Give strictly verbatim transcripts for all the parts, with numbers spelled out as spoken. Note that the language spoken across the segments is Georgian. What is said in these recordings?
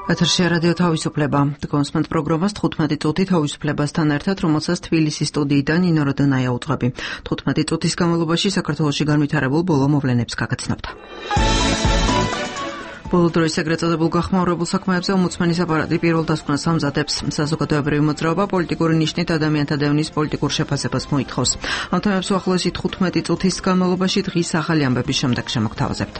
ეთერში რადიო თავისუფლება. კონსმენტ პროგრამას თხუთმეტი წუთი თავისუფლებასთან ერთად, რომელსაც თბილისის სტუდიიდან ნინო როდონაია უძღვები. თხუთმეტი წუთის განმავლობაში საქართველოში განვითარებულ ბოლო მოვლენებს გაგაცნობთ. ბოლო დროის ეგრეთ წოდებულ გახმაურებულ საქმეებზე ომბუდსმენის აპარატი პირველ დასკვნას ამზადებს. საზოგადოებრივი მოძრაობა პოლიტიკური ნიშნით ადამიანთა დევნის პოლიტიკურ შეფასებას მოითხოვს. ამ თემებს უახლოესი თხუთმეტი წუთის განმავლობაში დღის ახალი ამბების შემდეგ შემოგთავაზებთ.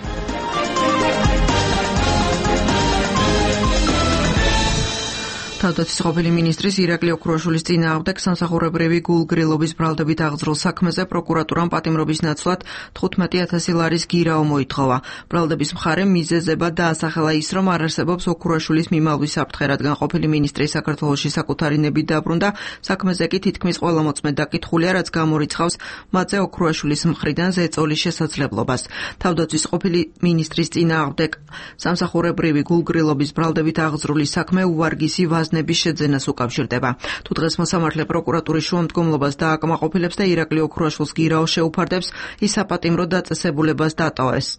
თავდაცვის ყოფილი მინისტრის ირაკლი ოქრუაშვილის წინააღმდეგ სამსახურებრივი გულგრილობის ბრალდებით აღძრულ საქმეზე პროკურატურამ პატიმრობის ნაცვლად თხუთმეტი ათასი ლარის გირაო მოითხოვა. ბრალდების მხარემ მიზეზებად დაასახელა ის, რომ არ არსებობს ოქრუაშვილის მიმალვის საფრთხე, რადგან ყოფილი მინისტრი საქართველოში საკუთარი ნებით დაბრუნდა, საქმეზე კი თითქმის ყველა მოწმე დაკითხულია, რაც გამორიცხავს მათზე ოქრუაშვილის მხრიდან ზეწოლის შესაძლებლობას. თავდაცვის ყოფილი მინისტრის წინააღმდეგ სამსახურებრივი გულგრილობის ბრალდებით აღძრული საქმე უვარგისი ვაზნების შეძენას უკავშირდება. თუ დღეს მოსამართლე პროკურატურის შუამდგომლობას დააკმაყოფილებს და ირაკლი ოქრუაშვილს გირაო შეუფარდებს, ის საპატიმრო დაწესებულებას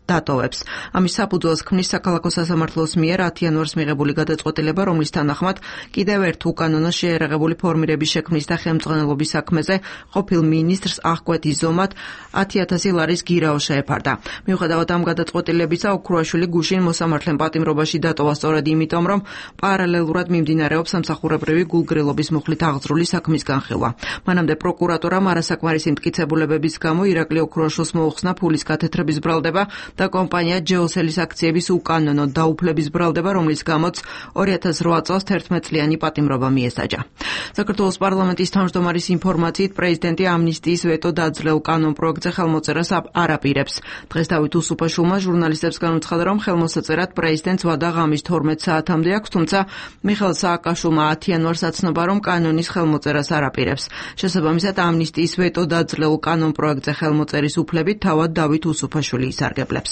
დატოვებს. ამის საფუძველს ქმნის საქალაქო სასამართლოს მიერ ათი იანვარს მიღებული გადაწყვეტილება, რომლის თანახმად კიდევ ერთ უკანონო შეერაღებული ფორმირების შექმნის და ხელმძღვანელობის საქმეზე ყოფილ მინისტრს აღკვეთი ზომად ათი ათასი ლარის გირაო შეეფარდა. მიუხედავად ამ გადაწყვეტილებისა, ოქრუაშვილი გუშინ მოსამართლემ პატიმრობაში დატოვა სწორედ იმიტომ, რომ პარალელურად მიმდინარეობს სამსახურებრივი გულგრილობის მუხლით აღძრული საქმის განხილვა. მანამდე პროკურატურამ არასაკმარისი მტკიცებულებების გამო ირაკლი ოქრუაშვილს მოუხსნა ფულის გათეთრების ბრალდება და კომპანია ჯეოსელის აქციების უკანონო დაუფლების ბრალდება, რომლის გამოც ორი ათას რვა წელს თერთმეტ წლიანი პატიმრობა მიესაჯა. საქართველოს პარლამენტის თავმჯდომარის ინფორმაციით, პრეზიდენტი ამნისტიის ვეტო დაძლეულ კანონ პროექტზე ხელმოწერას არ აპირებს. დღეს დავით უსუფაშვილმა ჟურნალისტებს განუცხადა, რომ ხელმოსაწერად პრეზიდენტს ვადა ღამის თორმეტ საათამდე აქვს, თუმცა მიხეილ სააკაშვილმა ათი იანვარს აცნობა, რომ კანონის ხელმოწერას არ აპირებს. შესაბამისად, ამნისტიის ვეტო დაძლეულ კანონ პროექტზე ხელმოწერის უფლებით თავად დავით უსუფაშვილი ისარგებლებს.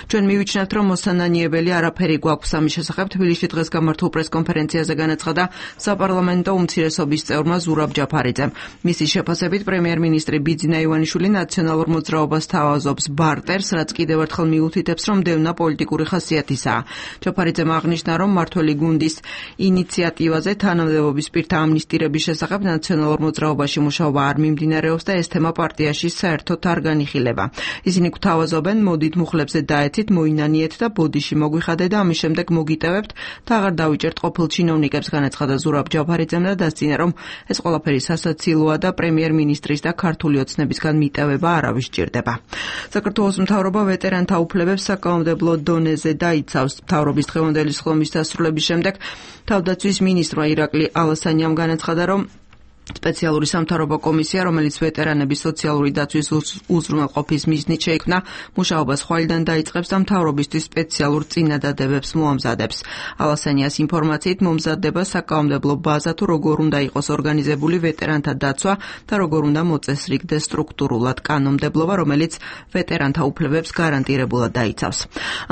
ჩვენ მივიჩნევთ, რომ მოსანანიებელი არაფერი გვაქვს ამის შესახებ. თბილისში დღეს გამართულ პრესკონფერენციაზე განაცხადა საპარლამენტო უმცირესობის წევრმა ზურაბ ჯაფარიძემ. მისი შეფასებით, პრემიერ-მინისტრი ბიძინა ივანიშვილი ნაციონალურ მოძრაობას თავაზობს ბარტერს, რაც კიდევ ერთხელ მიუთითებს, რომ დევნა პოლიტიკური ხასიათისაა. ჯაფარიძემ აღნიშნა, რომ მმართველი გუნდის ინიციატივაზე თანამდებობის პირთა ამნისტირების შესახებ ნაციონალურ მოძრაობაში მუშაობა არ მიმდინარეობს და ეს თემა პარტიაში საერთოდ არ განიხილება. ისინი გვთავაზობენ, მოდით მუხლებზე დაეცით, მოინანიეთ და ბოდიში მოგვიხადე და ამის შემდეგ მოგიტევებთ და აღარ დავიჭერთ ყოფილ ჩინოვნიკებს, განაცხადა ზურაბ ჯაფარიძემ და დასძინა, რომ ეს ყველაფერი სასაცილოა და პრემიერ-მინისტრის და ქართული ოცნებისგან მიტევება არავის სჭირდება. საქართველოს მთავრობა ვეტერანთა უფლებებს საკანონმდებლო დონეზე დაიცავს. მთავრობის დღევანდელი სხდომის დასრულების შემდეგ თავდაცვის მინისტრმა ირაკლი ალასანიამ განაცხადა, რომ სპეციალური სამთავრობო კომისია, რომელიც ვეტერანების სოციალური დაცვის უზრუნველყოფის მიზნით შეიქმნა, მუშაობას ხვალიდან დაიწყებს და მთავრობისთვის სპეციალურ წინადადებებს მოამზადებს. ალასანიას ინფორმაციით, მომზადდება საკანონმდებლო ბაზა, თუ როგორ უნდა იყოს ორგანიზებული ვეტერანთა დაცვა და როგორ უნდა მოწესრიგდეს სტრუქტურულად კანონმდებლობა, რომელიც ვეტერანთა უფლებებს გარანტირებულად დაიცავს.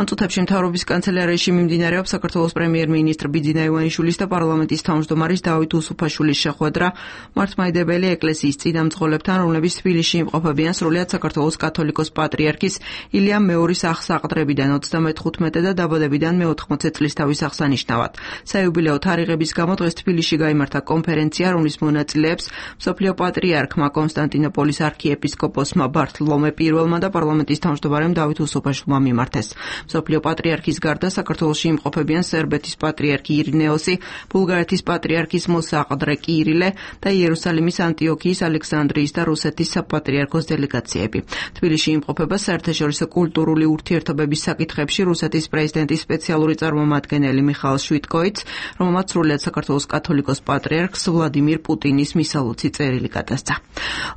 ამ წუთებში მთავრობის კანცელარიაში მიმდინარეობს საქართველოს პრემიერ-მინისტრ ბიძინა ივანიშვილის და პარლამენტის თავმჯდომარის დავით უსუფაშვილის შეხვედრა მართლმადიდებელი ეკლესიის წინამძღოლებთან, რომლებიც თბილისში იმყოფებიან სრულიად საქართველოს კათოლიკოს პატრიარქის ილიამ მეორის აღსაყდრებიდან ოცდამეთხუთმეტე და დაბადებიდან მეოთხმოცე წლისთავის აღსანიშნავად. საიუბილეო თარიღების გამო დღეს თბილისში გაიმართა კონფერენცია, რომლის მონაწილეებს მსოფლიო პატრიარქმა კონსტანტინოპოლის არქიეპისკოპოსმა ბართლომე პირველმა და პარლამენტის თავმჯდომარემ დავით უსუფაშვილმა მიმართეს. მსოფლიო პატრიარქის გარდა საქართველოში იმყოფებიან სერბეთის პატრიარქი ირინეოსი, ბულგარეთის პატრიარქის მოსაყდრე კირილე და იერუსალიმის, ანტიოქიის, ალექსანდრიის და რუსეთის საპატრიარქოს დელეგაციები. თბილისში იმყოფება საერთაშორისო კულტურული ურთიერთობების საკითხებში რუსეთის პრეზიდენტის სპეციალური წარმომადგენელი მიხაილ შვიტკოიც, რომელმაც სრულიად საქართველოს კათოლიკოს პატრიარქს ვლადიმირ პუტინის მისალოცი წერილი გადასცა.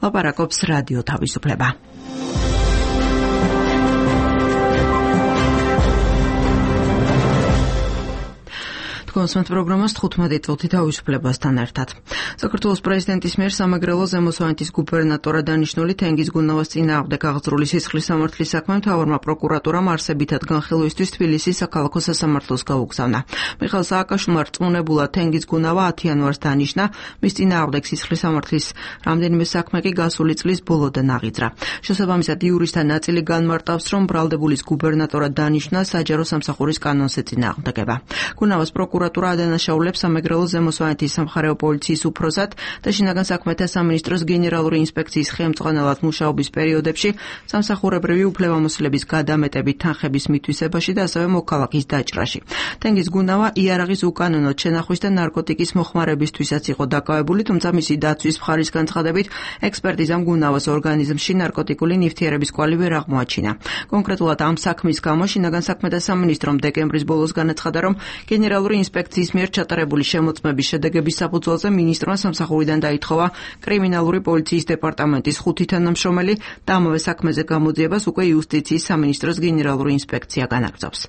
ლაპარაკობს რადიო თავისუფლება. კონსმენტ პროგრამას თხუთმეტი წუთი თავისუფლებასთან ერთად. საქართველოს პრეზიდენტის მიერ სამეგრელო ზემო სვანეთის გუბერნატორად დანიშნული თენგიზ გუნავას წინააღმდეგ აღძრული სისხლის სამართლის საქმე მთავარმა პროკურატურამ არსებითად განხილვისთვის თბილისის საქალაქო სასამართლოს გაუგზავნა. მიხეილ სააკაშვილმა რწმუნებულად თენგიზ გუნავა ათი იანვარს დანიშნა, მის წინააღმდეგ სისხლის სამართლის რამდენიმე საქმე კი გასული წლის ბოლოდან აღიძრა. შესაბამისად, იურისტთა ნაწილი განმარტავს, რომ ბრალდებულის გუბერნატორად დანიშნა საჯარო სამსახურის კანონს ეწინააღმდეგება. გუნავას პროკურატურა პროკურატურა ადანაშაულებს სამეგრელოს ზემო სვანეთის სამხარეო პოლიციის უფროსად და შინაგან საქმეთა სამინისტროს გენერალური ინსპექციის ხელმძღვანელად მუშაობის პერიოდებში სამსახურებრივი უფლებამოსილების გადამეტებით თანხების მითვისებაში და ასევე მოქალაქის დაჭრაში. თენგიზ გუნავა იარაღის უკანონო შენახვის და ნარკოტიკის მოხმარებისთვისაც იყო დაკავებული, თუმცა მისი დაცვის მხარის განცხადებით ექსპერტიზამ გუნავას ორგანიზმში ნარკოტიკული ნივთიერების კვალი ვერ აღმოაჩინა. კონკრეტულად ამ საქმის გამო შინაგან საქმეთა სამინისტრომ დეკემბრის ბოლოს განაცხადა, რომ გენერალური ინსპექციის მიერ ჩატარებული შემოწმების შედეგების საფუძველზე მინისტრმა სამსახურიდან დაითხოვა კრიმინალური პოლიციის დეპარტამენტის ხუთი თანამშრომელი და ამავე საქმეზე გამოძიებას უკვე იუსტიციის სამინისტროს გენერალური ინსპექცია განაგრძობს.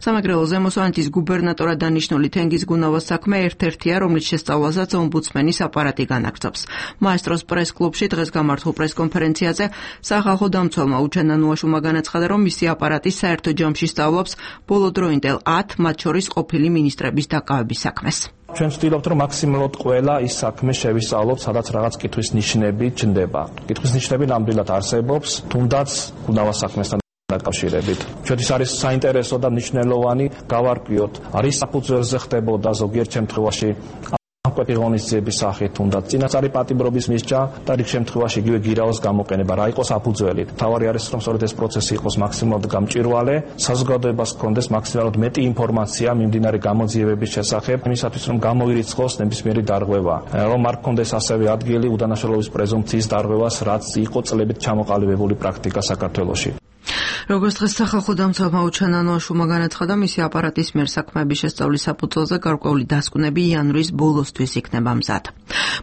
სამეგრელოს ზემო სვანეთის გუბერნატორად დანიშნული თენგიზ გუნავას საქმე ერთ-ერთია, რომლის შესწავლასაც ომბუდსმენის აპარატი განაგრძობს. მაესტროს პრეს-კლუბში დღეს გამართულ პრეს-კონფერენციაზე სახალხო დამცველმა უჩენა ნუაშუმა განაცხადა, რომ მისი აპარატი საერთო ჯამში სწავლობს ბოლოდროინდელ ათ, მათ შორის ყოფილი მინისტრების დაკავების საქმეს. ჩვენ ვცდილობთ, რომ მაქსიმალურად ყველა ის საქმე შევისწავლოთ, სადაც რაღაც კითხვის ნიშნები ჩნდება. კითხვის ნიშნები ნამდვილად არსებობს, თუნდაც გუნავას საქმესთან დაკავშირებით. ჩვენთვის არის საინტერესო და მნიშვნელოვანი გავარკვიოთ, არის საფუძველზე ხდებოდა ზოგიერთ შემთხვევაში ამკვეთი ღონისძიების სახით, თუნდაც წინასწარი პატიმრობის მისჯა და რიგ შემთხვევაში იგივე გირაოს გამოყენება, რა იყოს საფუძველი. თავარი არის, რომ სწორედ ეს პროცესი იყოს მაქსიმალურად გამჭვირვალე, საზოგადოებას ჰქონდეს მაქსიმალურად მეტი ინფორმაცია მიმდინარე გამოძიებების შესახებ, იმისათვის რომ გამოირიცხოს ნებისმიერი დარღვევა, რომ არ ჰქონდეს ასევე ადგილი უდანაშაულობის პრეზუმპციის დარღვევას, რაც იყო წლებით ჩამოყალიბებული პრაქტიკა საქართველოში. როგორც დღეს სახალხო დამცველმა უჩენა ნუაშუმა განაცხადა, მისი აპარატის მიერ საქმეების შესწავლის საფუძველზე გარკვეული დასკვნები იანვრის ბოლოსთვის იქნება მზად.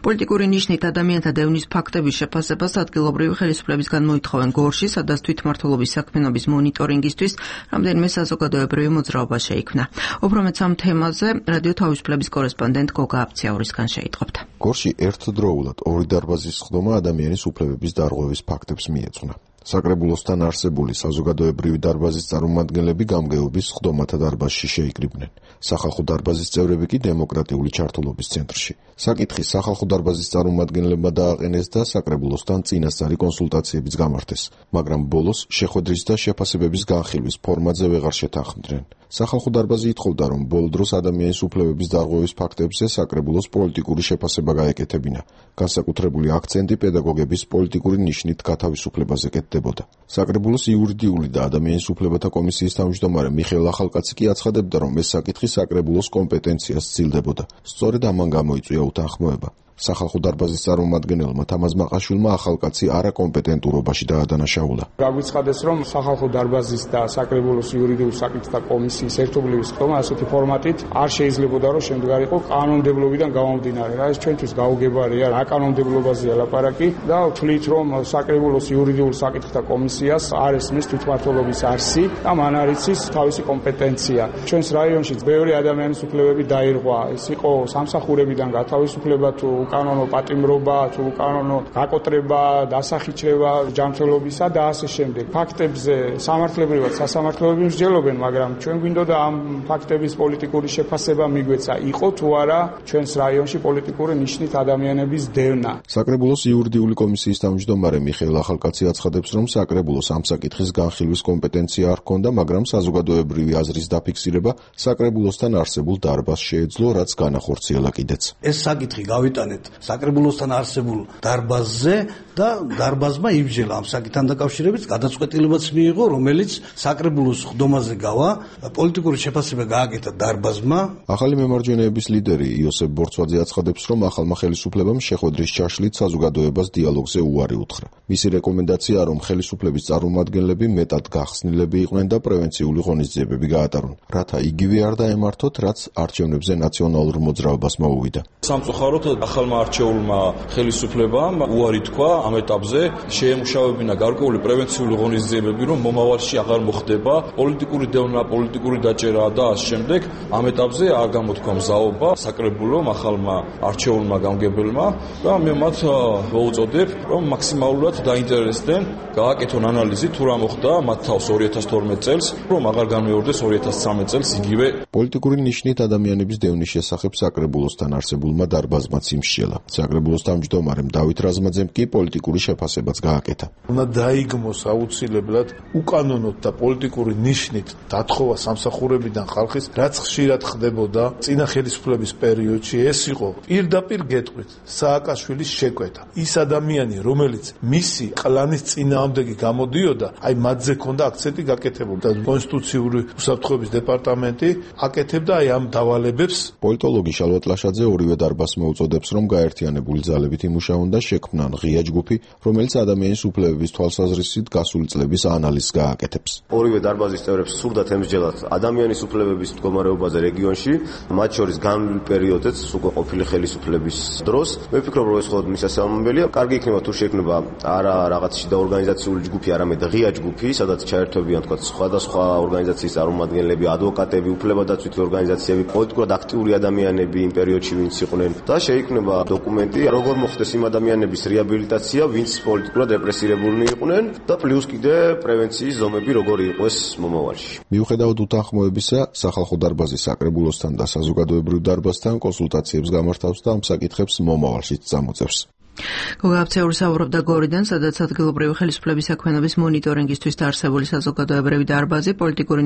პოლიტიკური ნიშნით ადამიანთა დევნის ფაქტების შეფასებას ადგილობრივი ხელისუფლებისგან მოითხოვენ გორში, სადაც თვითმმართველობის საქმიანობის მონიტორინგისთვის რამდენიმე საზოგადოებრივი მოძრაობა შეიქმნა. უფრო მეტ ამ თემაზე რადიო თავისუფლების კორესპონდენტ გოგა აფციაურისგან შეიტყობთ. გორში ერთდროულად ორი დარბაზის სხდომა ადამიანის უფლებების დარღვევის ფაქტებს მიეძღვნა. საკრებულოსთან არსებული საზოგადოებრივი დარბაზის წარმომადგენლები გამგეობის სხდომათა დარბაზში შეიკრიბნენ. სახალხო დარბაზის წევრები კი დემოკრატიული ჩართულობის ცენტრში. საკითხი სახალხო დარბაზის წარმომადგენლებმა დააყენეს და საკრებულოსთან წინასწარი კონსულტაციებიც გამართეს, მაგრამ ბოლოს შეხვედრის და შეფასებების განხილვის ფორმატზე ვეღარ შეთანხმდნენ. სახალხო დარბაზი ითხოვდა, რომ ბოლო დროს ადამიანის უფლებების დარღვევის ფაქტებზე საკრებულოს პოლიტიკური შეფასება გაეკეთებინა. განსაკუთრებული აქცენტი პედაგოგების პოლიტიკური ნიშნით გათავისუფლებაზე კეთდებოდა. საკრებულოს იურიდიული და ადამიანის უფლებათა კომისიის თავმჯდომარე მიხეილ ახალკაცი კი აცხადებდა, რომ ეს საკითხი საკრებულოს კომპეტენციას სცილდებოდა. სწორედ ამან გამოიწვია უთანხმოება. სახალხო დარბაზის წარმომადგენელმა თამაზ მაყაშვილმა ახალკაცი არაკომპეტენტურობაში დაადანაშაულა. გაგვიცხადეს, რომ სახალხო დარბაზის და საკრებულოს იურიდიულ საკითხთა კომისიის ერთობლივი სხდომა ასეთი ფორმატით არ შეიძლებოდა, რომ შემდგარიყო კანონმდებლობიდან გამომდინარე. რა ეს ჩვენთვის გაუგებარია, რა კანონმდებლობაზეა ლაპარაკი და ვთვლით, რომ საკრებულოს იურიდიულ საკითხთა კომისიას არ ესმის თვითმმართველობის არსი და მან არ იცის თავისი კომპეტენცია. ჩვენს რაიონშიც ბევრი ადამიანის უფლებები დაირღვა. ეს იყო სამსახურებიდან გათავისუფლება თუ უკანონო პატიმრობა, თუ უკანონო გაკოტრება, დასახიჩრება ჯანმრთელობისა და ასე შემდეგ. ფაქტებზე სამართლებრივად სასამართლოები მსჯელობენ, მაგრამ ჩვენ გვინდოდა ამ ფაქტების პოლიტიკური შეფასება მიგვეცა, იყო თუ არა ჩვენს რაიონში პოლიტიკური ნიშნით ადამიანების დევნა. საკრებულოს იურიდიული კომისიის თავმჯდომარე მიხეილ ახალკაცი აცხადებს, რომ საკრებულოს ამ საკითხის განხილვის კომპეტენცია არ ჰქონდა, მაგრამ საზოგადოებრივი აზრის დაფიქსირება საკრებულოსთან არსებულ დარბაზს შეეძლო, რაც განახორციელა კიდეც. ეს საკითხი გავიტანეთ საკრებულოსთან არსებულ დარბაზზე და დარბაზმა იბჯელა ამ საკითხთან დაკავშირებით გადაწყვეტილებაც მიიღო, რომელიც საკრებულოს სხდომაზე გავა, პოლიტიკური შეფასება გააკეთა დარბაზმა. ახალი მემარჯვენეების ლიდერი იოსებ ბორცვაძე აცხადებს, რომ ახალმა ხელისუფლებამ შეხვედრის ჩაშლით საზოგადოებას დიალოგზე უარი უთხრა. მისი რეკომენდაცია, რომ ხელისუფლების წარმომადგენლები მეტად გახსნილები იყვნენ და პრევენციული ღონისძიებები გაატარონ, რათა იგივე არ დაემართოთ, რაც არჩევნებზე ნაციონალურ მოძრაობას მოუვიდა. სამწუხაროდ ახალმა არჩეულმა ხელისუფლებამ უარი თქვა ამ ეტაპზე, შეემუშავებინა გარკვეული პრევენციული ღონისძიებები, რომ მომავალში აღარ მოხდება პოლიტიკური დევნა, პოლიტიკური დაჭერა და ამ შემდეგ ამ ეტაპზე არ გამოთქვა მზაობა საკრებულომ ახალმა არჩეულმა გამგებელმა და მე მათ მოუწოდებ, რომ მაქსიმალურად დაინტერესდნენ, გააკეთონ ანალიზი თუ რა მოხდა მათ თავს ორი ათას თორმეტ წელს, რომ აღარ განმეორდეს ორი ათას ცხრამეტ წელს იგივე. პოლიტიკური ნიშნით ადამიანების დევნის შესახებ საკრებულოსთან არსებულმა დარბაზმაც იმ მისჯელა. საკრებულოს თავმჯდომარემ დავით რაზმაძემ კი პოლიტიკური შეფასებაც გააკეთა. უნდა დაიგმოს აუცილებლად უკანონოდ და პოლიტიკური ნიშნით დათხოვა სამსახურებიდან ხალხის, რაც ხშირად ხდებოდა წინა ხელისუფლების პერიოდში. ეს იყო პირდაპირ გეტყვით სააკაშვილის შეკვეთა. ის ადამიანი, რომელიც მისი კლანის წინააღმდეგი გამოდიოდა, აი მათზე ქონდა აქცენტი გაკეთებული და კონსტიტუციური უსაფრთხოების დეპარტამენტი აკეთებდა აი ამ დავალებებს. პოლიტოლოგი შალვა ტლაშაძე ორივე დარბაზს მოუწოდებს, რომ გაერთიანებული ძალებით იმუშაონ და შექმნან ღია ჯგუფი, რომელიც ადამიანის უფლებების თვალსაზრისით გასული წლების ანალიზს გააკეთებს. ორივე დარბაზის წევრებს სურდათ ემსჯელათ ადამიანის უფლებების მდგომარეობაზე რეგიონში, მათ შორის განვლილ პერიოდზეც უკვე ყოფილი ხელისუფლების დროს. მე ვფიქრობ, რომ ეს მხოლოდ მისასალმებელია. კარგი იქნება თუ შექმნება არა რაღაც შიდა ორგანიზაციული ჯგუფი, არამედ ღია ჯგუფი, სადაც ჩაერთვებიან თქვა სხვადასხვა ორგანიზაციის წარმომადგენლები, ადვოკატები, უფლებადაცვითი ორგანიზაციები, პოლიტიკურად აქტიური ადამიანები იმ პერიოდში ვინც იყვნენ და შეიქმნება დოკუმენტი, როგორ მოხდეს იმ ადამიანების რეაბილიტაცია, ვინც პოლიტიკურად რეპრესირებულნი იყვნენ და პლუს კიდე პრევენციის ზომები როგორი იყოს მომავალში. მიუხედავად უთანხმოებისა, სახალხო დარბაზი საკრებულოსთან და საზოგადოებრივ დარბაზთან კონსულტაციებს გამართავს და ამ საკითხებს მომავალშიც წამოწევს. გოგაბცეული საუბრობდა გორიდან, სადაც ადგილობრივი ხელისუფლების საქმიანობის მონიტორინგისთვის დაარსებული საზოგადოებრივი დარბაზი პოლიტიკური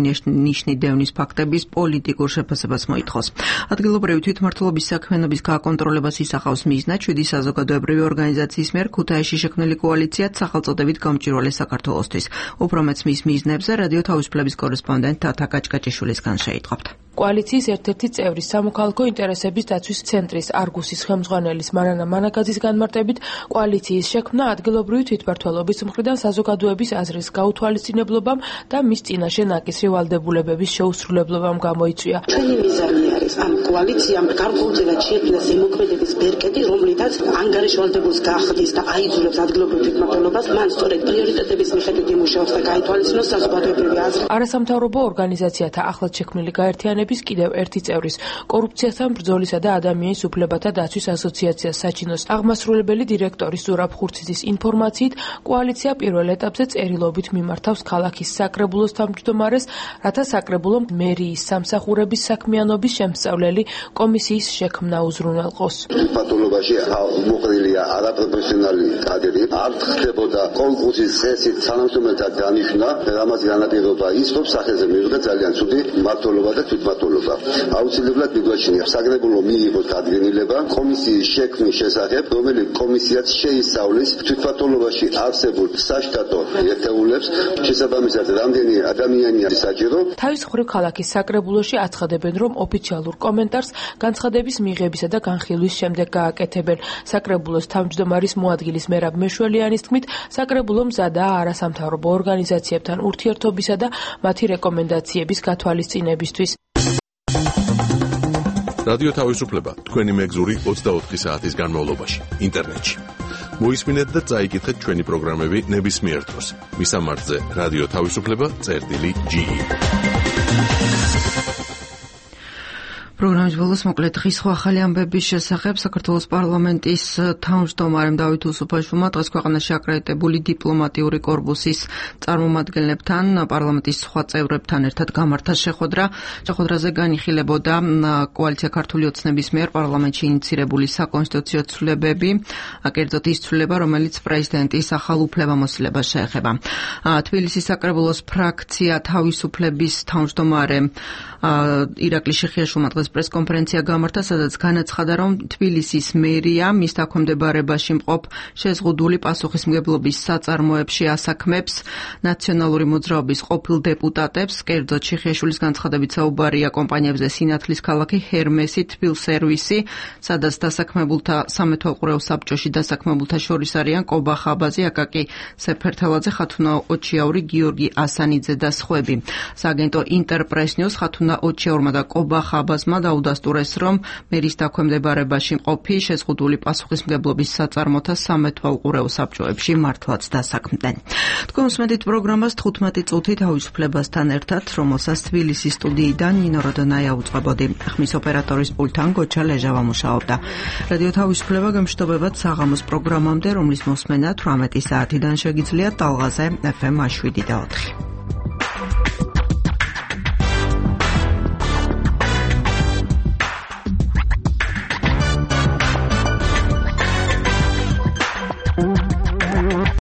ნიშნით დევნის ფაქტების პოლიტიკურ შეფასებას მოითხოვს. ადგილობრივი თვითმმართველობის საქმიანობის გაკონტროლებას ისახავს მიზნად შვიდი საზოგადოებრივი ორგანიზაციის მიერ ქუთაისში შექმნილი კოალიციად სახელწოდებით გამჭვირვალე საქართველოსთვის. უფრო მეც მის მიზნებზე რადიო თავისუფლების კორესპონდენტ თათა კაჭკაჭიშვილისგან შეიტყობთ. კოალიციის ერთ-ერთი წევრი სამოქალაქო ინტერესების დაცვის ცენტრის არგუსის ხელმძღვანელის მარანა მანაგაძის განმარტებით, კოალიციის შექმნა ადგილობრივი თვითმმართველობის მხრიდან საზოგადოების აზრის გაუთვალისწინებლობამ და მის წინაშე ნაკისრი ვალდებულებების შეუსრულებლობამ გამოიწვია. ჩვენი მიზანი არის ამ კოალიციამ გარკვეულწილად შექმნას იმოქმედების ბერკეტი, რომლითაც ანგარიშვალდებულს გაახდის და აიძულებს ადგილობრივ თვითმმართველობას მან სწორედ პრიორიტეტების მიხედვით იმუშაოს და გაითვალისწინოს საზოგადოებრივი აზრი. არასამთავრობო ორგანიზაციათა ახლად შექმნილი გაერთიანების კიდევ ერთი წევრის კორუფციასთან ბრძოლისა და ადამიანის უფლებათა დაცვის ასოციაციას საჩინოს აღმასრულებელი დირექტორის ზურაბ ხურციძის ინფორმაციით, კოალიცია პირველ ეტაპზე წერილობით მიმართავს ქალაქის საკრებულოს თავმჯდომარეს, რათა საკრებულომ მერიის სამსახურების საქმიანობის შემსწავლელი კომისიის შექმნა უზრუნველყოს. პათოლოგიაში მოყრილია არაპროფესიონალი კადრი, არ ხდებოდა კონკურსის წესით თანამშრომელთა დანიშვნა, რამაც განაპირობა ის, რომ სახეზე მივიღეთ ძალიან ცუდი მმართველობა და თვითმმართველობა. აუცილებლად მიგვაჩნია საკრებულო მიიღოს დადგენილება კომისიის შექმნის შესახებ, რომელიც კომისიაც შეისწავლის თვითმმართველობაში არსებულ საშტატო ერთეულებს, შესაბამისად რამდენი ადამიანია საჭირო. თავის მხრივ ქალაქის საკრებულოში აცხადებენ, რომ ოფიციალურ კომენტარს განცხადების მიღებისა და განხილვის შემდეგ გააკეთებენ. საკრებულოს თავმჯდომარის მოადგილის მერაბ მეშველიანის თქმით, საკრებულო მზადაა არასამთავრობო ორგანიზაციებთან ურთიერთობისა და მათი რეკომენდაციების გათვალისწინებისთვის. რადიო თავისუფლება თქვენი მეგზური ოცდაოთხი საათის განმავლობაში ინტერნეტში. მოისმინეთ და წაიკითხეთ ჩვენი პროგრამები ნებისმიერ დროს. მისამართზე რადიო თავისუფლება წერტილი ჯი ი. პროგრამის ბოლოს მოკლედ დღის სხვა ახალი ამბების შესახებ საქართველოს პარლამენტის თავმჯდომარემ დავით უსუფაშვილმა დღეს ქვეყანაში აკრედიტებული დიპლომატიური კორპუსის წარმომადგენლებთან, პარლამენტის სხვა წევრებთან ერთად გამართა შეხვედრა. შეხვედრაზე განიხილებოდა კოალიცია ქართული ოცნების მიერ პარლამენტში ინიცირებული საკონსტიტუციო ცვლილებები, კერძოდ ის ცვლილება, რომელიც პრეზიდენტის ახალ უფლებამოსილებას შეეხება. თბილისის საკრებულოს ფრაქცია თავისუფლების თავმჯდომარე ირაკლი შეხიაშვილმა დღეს პრესკონფერენცია გამართა, სადაც განაცხადა, რომ თბილისის მერია მის დაქვემდებარებაში მყოფ შეზღუდული პასუხისმგებლობის საწარმოებში ასაქმებს ნაციონალური მოძრაობის ყოფილ დეპუტატებს. კერძოდ შეხიაშვილის განცხადებით საუბარია კომპანიებზე სინათლის ქალაქი ჰერმესი, თბილსერვისი, სადაც დასაქმებულთა სამეთვალყურეო საბჭოში დასაქმებულთა შორის არიან კობა ხაბაზი, აკაკი სეფერთელაძე, ხათუნა ოჩიაური, გიორგი ასანიძე და სხვები. სააგენტო ინტერპრეს ნიუს ხათუნა ოჩიაურმა და კობა ხაბაზმა დაუდასტურეს, რომ მერის დაქვემდებარებაში მყოფი შეზღუდული პასუხისმგებლობის საწარმოთა სამეთვალყურეო საბჭოებში მართლაც დასაქმდნენ. თქვენ უსმენთ პროგრამას თხუთმეტი წუთი თავისუფლებასთან ერთად, რომელსაც თბილისის სტუდიიდან ნინო როდონაია უწყებოდი. ხმის ოპერატორის პულტთან გოჩა ლეჟავა მუშაობდა. რადიო თავისუფლება გემშვიდობებათ საღამოს პროგრამამდე, რომლის მოსმენა თვრამეტი საათიდან შეგიძლიათ ტალღაზე ეფ ემ შვიდი და ოთხი.